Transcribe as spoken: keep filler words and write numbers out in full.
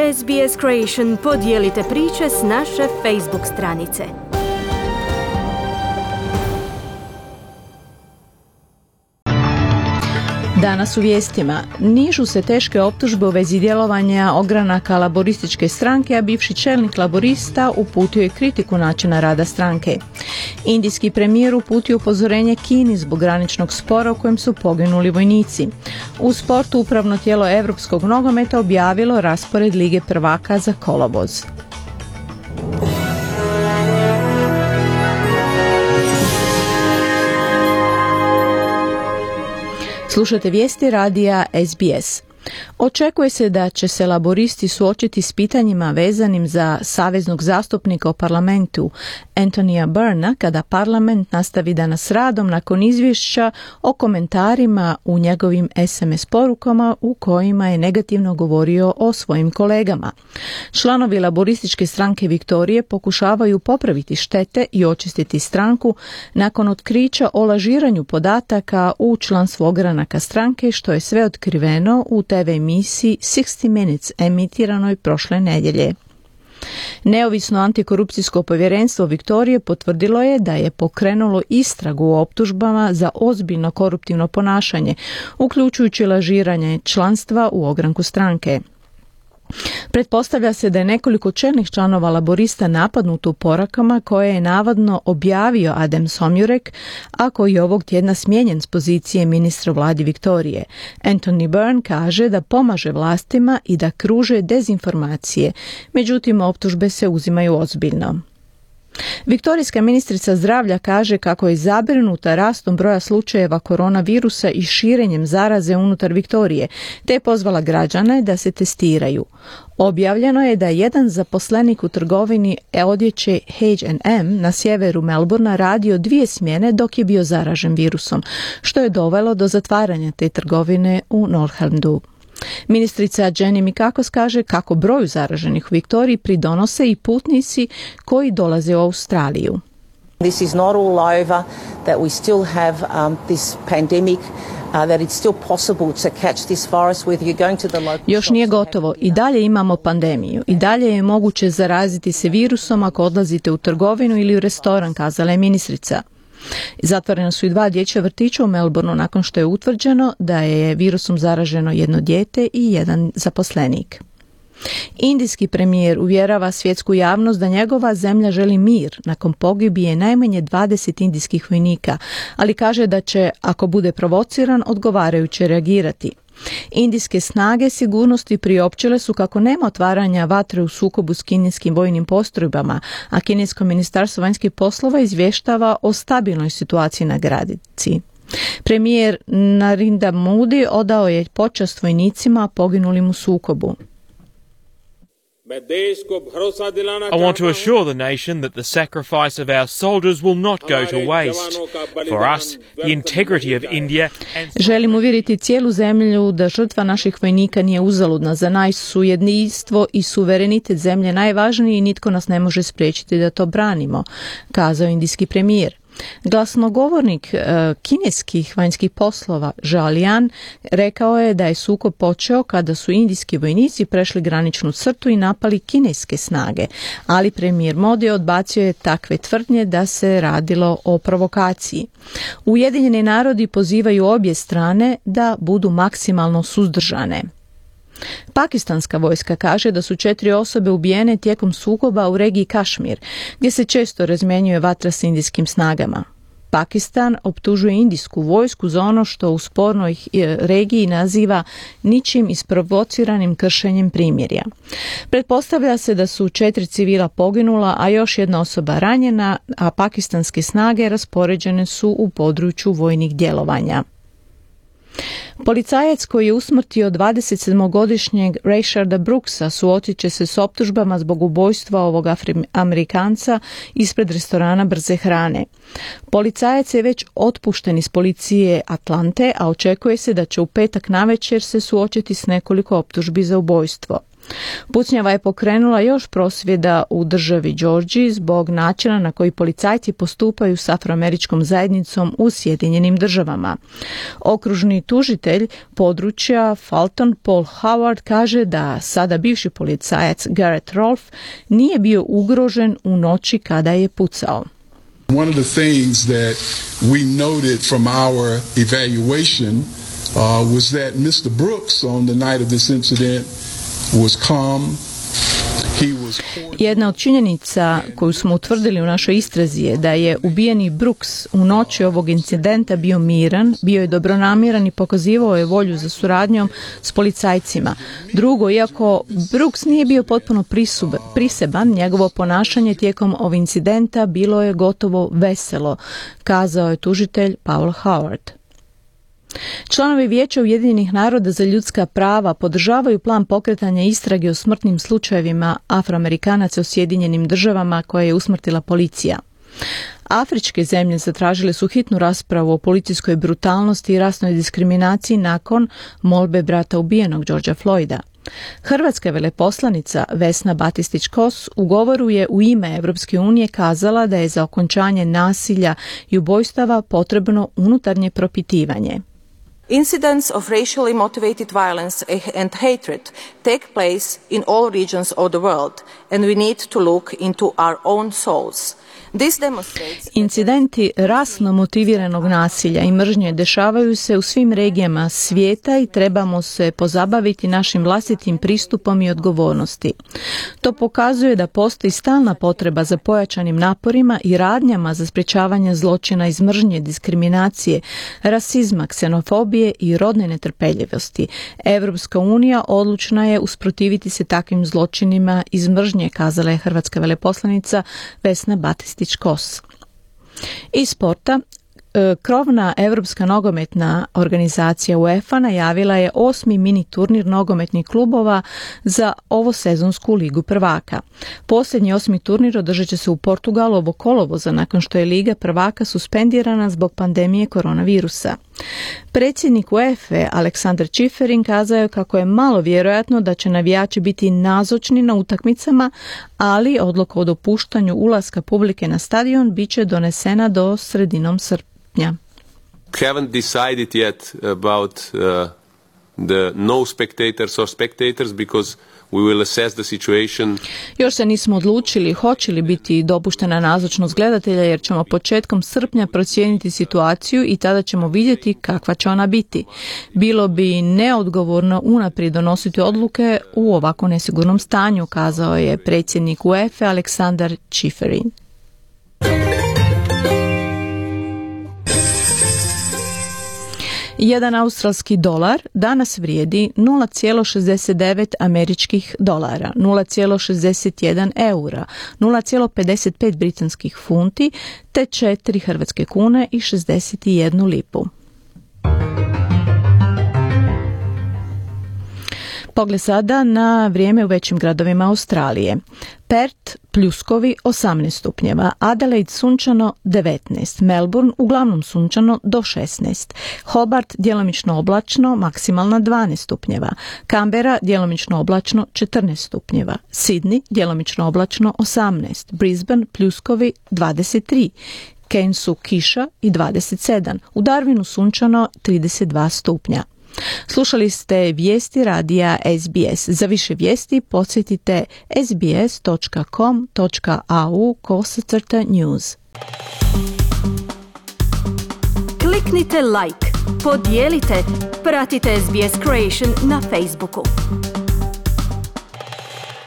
S B S Creation podijelite priče s naše Facebook stranice. Danas u vijestima. Nižu se teške optužbe u vezi djelovanja ogranaka laborističke stranke, a bivši čelnik laborista uputio je kritiku načina rada stranke. Indijski premijer uputio upozorenje Kini zbog graničnog spora u kojem su poginuli vojnici. U sportu upravno tijelo Europskog nogometa objavilo raspored Lige prvaka za kolovoz. Slušate vijesti radija S B S. Očekuje se da će se laboristi suočiti s pitanjima vezanim za saveznog zastupnika u parlamentu Anthony'a Byrna kada parlament nastavi danas s radom nakon izvješća o komentarima u njegovim S M S porukama u kojima je negativno govorio o svojim kolegama. Članovi laborističke stranke Viktorije pokušavaju popraviti štete i očistiti stranku nakon otkrića o lažiranju podataka u članstvo ogranaka stranke, što je sve otkriveno u T V emisiji sixty minutes emitiranoj prošle nedjelje. Neovisno antikorupcijsko povjerenstvo Viktorije potvrdilo je da je pokrenulo istragu o optužbama za ozbiljno koruptivno ponašanje, uključujući lažiranje članstva u ogranku stranke. Pretpostavlja se da je nekoliko čelnih članova laborista napadnuto u porakama koje je navodno objavio Adem Somjurek, a koji je ovog tjedna smijenjen s pozicije ministra vladi Viktorije. Anthony Byrne kaže da pomaže vlastima i da kruže dezinformacije, međutim optužbe se uzimaju ozbiljno. Viktorijska ministrica zdravlja kaže kako je zabrinuta rastom broja slučajeva koronavirusa i širenjem zaraze unutar Viktorije, te je pozvala građane da se testiraju. Objavljeno je da je jedan zaposlenik u trgovini odjeće H and M na sjeveru Melbourna radio dvije smjene dok je bio zaražen virusom, što je dovelo do zatvaranja te trgovine u Northallertu. Ministrica Jenny Mikakos kaže kako broju zaraženih u Viktoriji pridonose i putnici koji dolaze u Australiju. This is not all over, that we still have um, this pandemic. Uh, that it's still possible to catch this virus whether you're going to the local. Još nije gotovo. I dalje imamo pandemiju. I dalje je moguće zaraziti se virusom ako odlazite u trgovinu ili u restoran, kazala je ministrica. Zatvorena su i dva dječja vrtića u Melbourneu nakon što je utvrđeno da je virusom zaraženo jedno dijete i jedan zaposlenik. Indijski premijer uvjerava svjetsku javnost da njegova zemlja želi mir nakon pogibije najmanje dvadeset indijskih vojnika, ali kaže da će, ako bude provociran, odgovarajuće reagirati. Indijske snage sigurnosti priopćile su kako nema otvaranja vatre u sukobu s kineskim vojnim postrojbama, a kinesko ministarstvo vanjskih poslova izvještava o stabilnoj situaciji na granici. Premijer Narendra Modi odao je počast vojnicima poginulim u sukobu. I want to assure the nation that the sacrifice of our soldiers will not go to waste. For us, the integrity of India and... Želim uvjeriti cijelu zemlju da žrtva naših vojnika nije uzaludna. Za nas su jedinstvo i suverenitet zemlje najvažniji i nitko nas ne može spriječiti da to branimo, kazao indijski premijer. Glasnogovornik e, kineskih vanjskih poslova Zhao Lian rekao je da je sukob počeo kada su indijski vojnici prešli graničnu crtu i napali kineske snage, ali premijer Modi odbacio je takve tvrdnje da se radilo o provokaciji. Ujedinjeni narodi pozivaju obje strane da budu maksimalno suzdržane. Pakistanska vojska kaže da su četiri osobe ubijene tijekom sukoba u regiji Kašmir, gdje se često razmjenjuje vatra s indijskim snagama. Pakistan optužuje indijsku vojsku za ono što u spornoj regiji naziva ničim isprovociranim kršenjem primirja. Pretpostavlja se da su četiri civila poginula, a još jedna osoba ranjena, a pakistanske snage raspoređene su u području vojnih djelovanja. Policajac koji je usmrtio dvadesetsedmogodišnjeg Rayshada Brooksa suočit će se s optužbama zbog ubojstva ovog Amerikanca ispred restorana brze hrane. Policajac je već otpušten iz policije Atlante, a očekuje se da će u petak navečer se suočiti s nekoliko optužbi za ubojstvo. Pucnjava je pokrenula još prosvjeda u državi Georgiji zbog načina na koji policajci postupaju s afroameričkom zajednicom u Sjedinjenim državama. Okružni tužitelj područja Fulton Paul Howard kaže da sada bivši policajac Garrett Rolfe nije bio ugrožen u noći kada je pucao. One of the things that we noted from our evaluation uh, was that mister Brooks on the night of this incident was calm. He was... Jedna od činjenica koju smo utvrdili u našoj istrazi je da je ubijeni Brooks u noći ovog incidenta bio miran, bio je dobronamjeran i pokazivao je volju za suradnjom s policajcima. Drugo, iako Brooks nije bio potpuno prisub, priseban, njegovo ponašanje tijekom ovog incidenta bilo je gotovo veselo, kazao je tužitelj Paul Howard. Članovi Vijeća Ujedinjenih naroda za ljudska prava podržavaju plan pokretanja istrage o smrtnim slučajevima Afroamerikanaca u Sjedinjenim državama koje je usmrtila policija. Afričke zemlje zatražile su hitnu raspravu o policijskoj brutalnosti i rasnoj diskriminaciji nakon molbe brata ubijenog Georgea Floyda. Hrvatska veleposlanica Vesna Batistić-Kos u govoru je u ime Europske unije kazala da je za okončanje nasilja i ubojstava potrebno unutarnje propitivanje. Incidents of racially motivated violence and hatred take place in all regions of the world, and we need to look into our own souls. Incidenti rasno motiviranog nasilja i mržnje dešavaju se u svim regijama svijeta i trebamo se pozabaviti našim vlastitim pristupom i odgovornosti. To pokazuje da postoji stalna potreba za pojačanim naporima i radnjama za sprječavanje zločina iz mržnje, diskriminacije, rasizma, ksenofobije i rodne netrpeljivosti. Europska unija odlučna je usprotiviti se takvim zločinima iz mržnje, kazala je hrvatska veleposlanica Vesna Batistić. Iz sporta, krovna Europska nogometna organizacija UEFA najavila je osmi mini turnir nogometnih klubova za ovosezonsku ligu prvaka. Posljednji osmi turnir održat će se u Portugalu ovog kolovoza nakon što je liga prvaka suspendirana zbog pandemije koronavirusa. Predsjednik UEFA Aleksandar Čeferin kazao je kako je malo vjerojatno da će navijači biti nazočni na utakmicama, ali odluka o dopuštanju ulaska publike na stadion bit će donesena do sredinom srpnja. Haven't decided yet about uh, the no spectators or spectators because we will assess the situation. Još se nismo odlučili hoće li biti dopuštena nazočnost gledatelja jer ćemo početkom srpnja procijeniti situaciju i tada ćemo vidjeti kakva će ona biti. Bilo bi neodgovorno unaprijed donositi odluke u ovako nesigurnom stanju, kazao je predsjednik UEFA Aleksandar Čeferin. Jedan australski dolar danas vrijedi nula zarez šezdeset devet američkih dolara, nula zarez šezdeset jedan eura, nula zarez pedeset pet britanskih funti te četiri hrvatske kune i šezdeset jednu lipu. Pogled sada na vrijeme u većim gradovima Australije. Perth pljuskovi osamnaest stupnjeva, Adelaide sunčano devetnaest, Melbourne uglavnom sunčano do šesnaest, Hobart djelomično oblačno, maksimalna dvanaest stupnjeva, Canberra djelomično oblačno četrnaest stupnjeva, Sydney djelomično oblačno osamnaest, Brisbane pljuskovi dvadeset tri, Cairnsu kiša i dvadeset sedam, u Darwinu sunčano trideset dva stupnja. Slušali ste vijesti radija S B S. Za više vijesti posjetite sbs dot com dot a u kosacrta news. Kliknite like, podijelite, pratite S B S Creation na Facebooku.